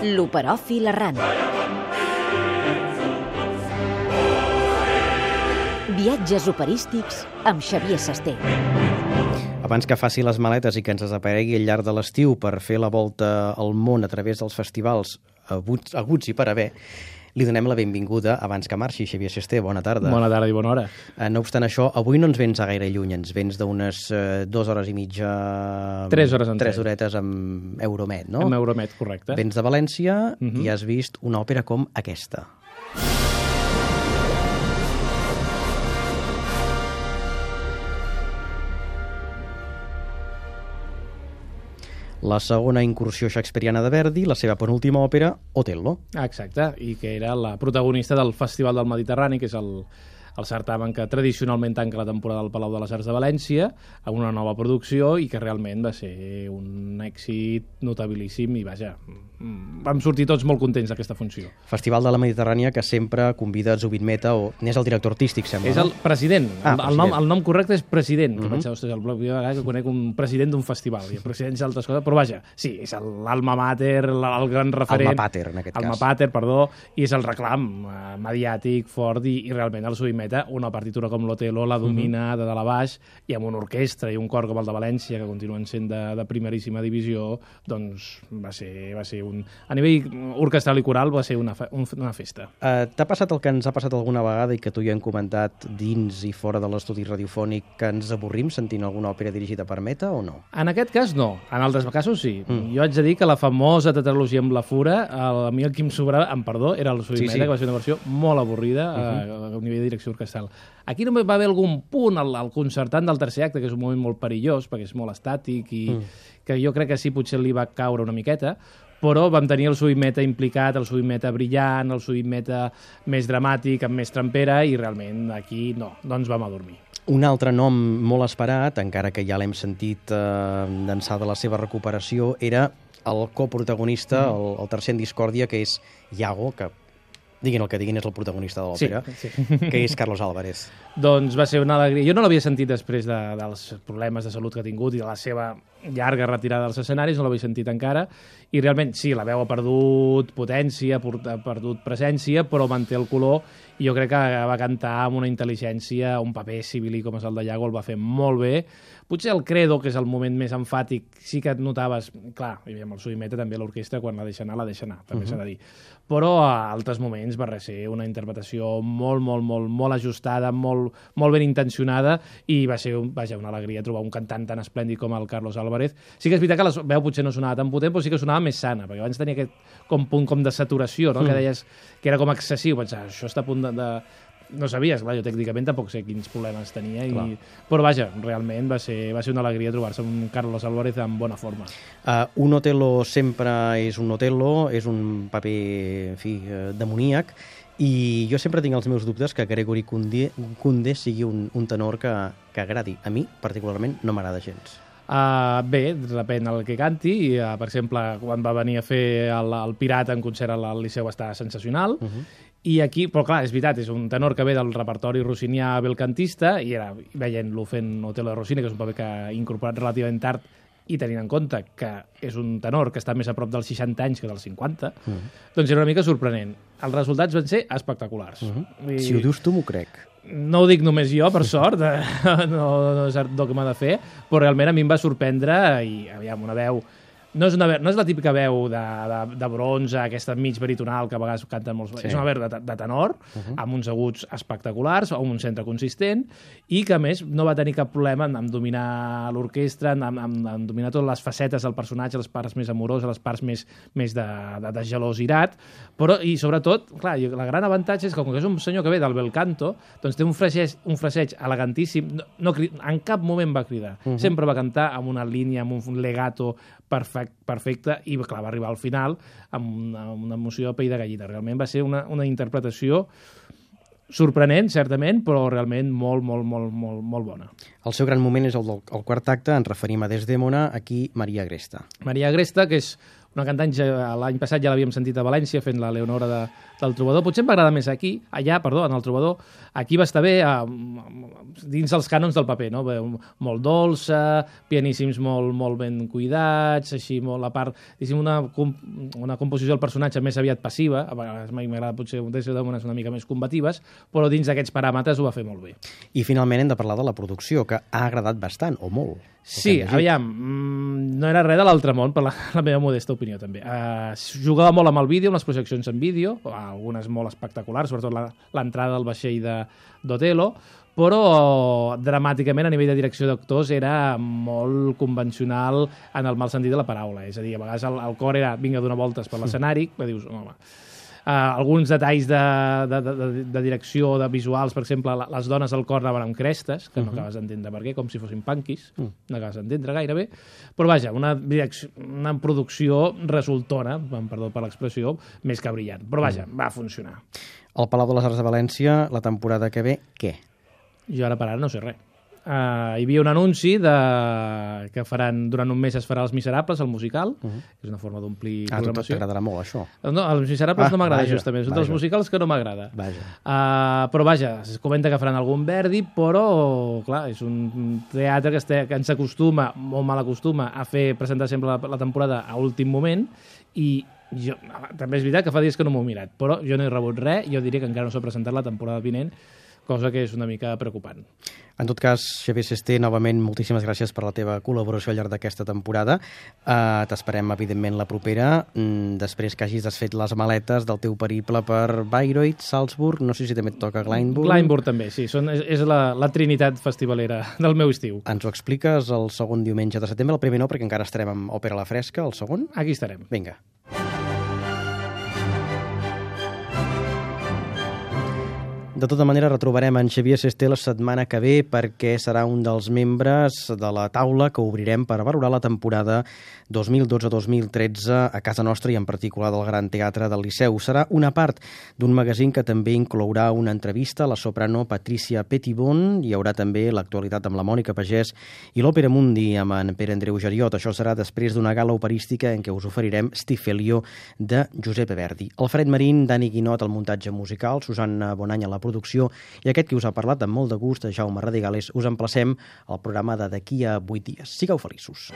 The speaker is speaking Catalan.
L'Operòfil Errant. Viatges operístics amb Xavier Sasté. Abans que faci les maletes i que ens desaparegui al llarg de l'estiu per fer la volta al món a través dels festivals aguts i per haver, li donem la benvinguda abans que marxi. Xavier Sasté, bona tarda. Bona tarda i bona hora. No obstant això, avui no ens vens a gaire lluny, ens vens d'unes 2 hores i mitja... 3 hores en 3 horetes amb Euromed, no? Amb Euromed, correcte. Vens de València i has vist una òpera com aquesta. La segona incursió shakespeariana de Verdi, la seva penúltima òpera, Otello. Exacte, i que era la protagonista del Festival del Mediterrani, que és el certamen que tradicionalment tanca la temporada del Palau de les Arts de València, amb una nova producció i que realment va ser un èxit notabilíssim i vaja, vam sortir tots molt contents d'aquesta funció. Festival de la Mediterrània que sempre convida Zubin Mehta, o n'és el director artístic, sembla, és el president. El nom correcte és president, que vaig ostres, el primer vegada que conec un president d'un festival, i presidents d'altres coses, però vaja, sí, és l'alma mater, el gran referent... Alma pater, en aquest cas. Alma pater, perdó, i és el reclam mediàtic fort i realment el Zubin Mehta, una partitura com l'Otello la domina de dalt a baix, i amb una orquestra i un cor com el de València, que continuen sent de primeríssima divisió, doncs va ser a nivell orquestral i coral va ser una festa. T'ha passat el que ens ha passat alguna vegada i que tu ja hem comentat dins i fora de l'estudi radiofònic, que ens avorrim sentint alguna òpera dirigida per Mehta o no? En aquest cas no, en altres casos sí. Jo haig de dir que la famosa tetralogia amb la Fura, a mi el que em sobrava, amb perdó, era el Zubin Mehta, que va ser una versió molt avorrida a nivell de direcció orquestral. Aquí només va haver algun punt al concertant del tercer acte, que és un moment molt perillós, perquè és molt estàtic i que jo crec que sí, potser li va caure una miqueta, però vam tenir el Zubin Mehta implicat, el Zubin Mehta brillant, el Zubin Mehta més dramàtic, amb més trampera, i realment aquí no ens vam adormir. Un altre nom molt esperat, encara que ja l'hem sentit d'ençà de la seva recuperació, era el coprotagonista, el tercer en discòrdia, que és Iago, que diguin el que diguin, és el protagonista de l'òpera, que és Carlos Álvarez. Doncs va ser una alegria. Jo no l'havia sentit després dels problemes de salut que ha tingut i de la seva llarga retirada dels escenaris, no l'havia sentit encara, i realment sí, la veu ha perdut potència, ha perdut presència, però manté el color, i jo crec que va cantar amb una intel·ligència, un paper sibilí com és el de Iago, el va fer molt bé. Potser el Credo, que és el moment més emfàtic, sí que et notaves, clar, i amb el Zubin Mehta també l'orquestra, quan la deixa anar, també s'ha de dir. Però a altres moments va ser una interpretació molt ajustada, molt ben intencionada, i va ser una alegria trobar un cantant tan esplèndid com el Carlos Álvarez. Sí que és veritat que la veu potser no sonava tan potent, però sí que sonava més sana, perquè abans tenia aquest punt com de saturació, no? Que deies que era com excessiu, pensava, això està a punt de... No sabies, clar, jo tècnicament tampoc sé quins problemes tenia, però vaja, realment va ser una alegria trobar-se amb un Carlos Álvarez en bona forma. Un Otello sempre és un Otello, és un paper, en fi, demoníac, i jo sempre tinc els meus dubtes que Gregory Kundé sigui un tenor que agradi. A mi, particularment, no m'agrada gens. Bé, depèn el que canti, i, per exemple, quan va venir a fer el Pirata en concert al Liceu va estar sensacional, i aquí, però clar, és veritat, és un tenor que ve del repertori rossinià belcantista, i era veient-lo fent Otello de Rossini, que és un paper que ha incorporat relativament tard, i tenint en compte que és un tenor que està més a prop dels 60 anys que dels 50, doncs era una mica sorprenent. Els resultats van ser espectaculars. Si ho dius tu, m'ho crec. No ho dic només jo, per sort, no és dogma de fer, però realment a mi em va sorprendre, i aviam, una veu... No és la típica veu de bronze, aquesta mig baritonal que a vegades canten molts... És una veu de tenor, amb uns aguts espectaculars, amb un centre consistent, i que, a més, no va tenir cap problema en dominar l'orquestra, en dominar totes les facetes del personatge, les parts més amoroses, les parts més de gelosirat, però, i sobretot, clar, el gran avantatge és que, com que és un senyor que ve del bel canto, doncs té un fraseig elegantíssim, en cap moment va cridar, sempre va cantar amb una línia, amb un legato perfecte, i clar, va arribar al final amb una emoció de pell de gallina. Realment va ser una interpretació sorprenent, certament, però realment molt bona. El seu gran moment és el quart acte, ens referim a Desdèmona, aquí Maria Agresta. Maria Agresta, que és una cantant, l'any passat ja l'havíem sentit a València fent la Leonora del Trobador. Potser em va agradar més en el Trobador. Aquí va estar bé dins els cànons del paper, no? Molt dolça, pianíssims molt ben cuidats, així molt a part, una composició del personatge més aviat passiva, a vegades m'agrada potser d'unes una mica més combatives, però dins d'aquests paràmetres ho va fer molt bé. I finalment hem de parlar de la producció, que ha agradat bastant, o molt. Sí, aviam, no era res de l'altre món, per la meva modesta opinió, també. Jugava molt amb el vídeo, amb les projeccions en vídeo, algunes molt espectaculars, sobretot l'entrada del vaixell d'Otelo, però dramàticament a nivell de direcció d'actors era molt convencional en el mal sentit de la paraula. És a dir, a vegades el cor era vinga a donar voltes per l'escenari, que dius, home... alguns detalls de direcció, de visuals, per exemple, les dones del cor anaven amb crestes, que no acabes d'entendre per què, com si fossin punkies, no acabes d'entendre gairebé, però vaja, una producció resultona, perdó per l'expressió, més que brillant, però vaja, va funcionar. Al Palau de les Arts de València, la temporada que ve, què? Jo ara per ara no sé res. Hi havia un anunci que faran, durant un mes es farà Els Miserables, el musical, que és una forma d'omplir programació. A tu t'agradarà molt, això. No, Els Miserables no m'agrada, justament. Són dels musicals que no m'agrada. Però vaja, es comenta que faran algun Verdi, però, clar, és un teatre que ens acostuma, o mal acostuma, a fer presentar sempre la temporada a últim moment, i jo, també és veritat que fa dies que no m'ho he mirat, però jo no he rebut res, jo diria que encara no s'ha presentat la temporada vinent, cosa que és una mica preocupant. En tot cas, Xavier Sesté, novament, moltíssimes gràcies per la teva col·laboració al llarg d'aquesta temporada. T'esperem, evidentment, la propera, després que hagis desfet les maletes del teu periple per Bayreuth, Salzburg, no sé si també et toca Glyndebourne. Glyndebourne també, sí, és la trinitat festivalera del meu estiu. Ens ho expliques el segon diumenge de setembre, el primer no, perquè encara estarem amb Òpera a la Fresca, el segon? Aquí estarem. Vinga. De tota manera, retrobarem en Xavier Sesté la setmana que ve perquè serà un dels membres de la taula que obrirem per valorar la temporada 2012-2013 a casa nostra i en particular del Gran Teatre del Liceu. Serà una part d'un magazín que també inclourà una entrevista a la soprano Patricia Petitbon. Hi haurà també l'actualitat amb la Mònica Pagès i l'Òpera Mundi amb en Pere Andreu Geriot. Això serà després d'una gala operística en què us oferirem Stifelio de Giuseppe Verdi. Alfred Marín, Dani Guinot al muntatge musical, Susanna Bonany a la producció i aquest qui us ha parlat amb molt de gust, Jaume Radigales. Us emplacem al programa de d'aquí a 8 dies. Sigueu feliços.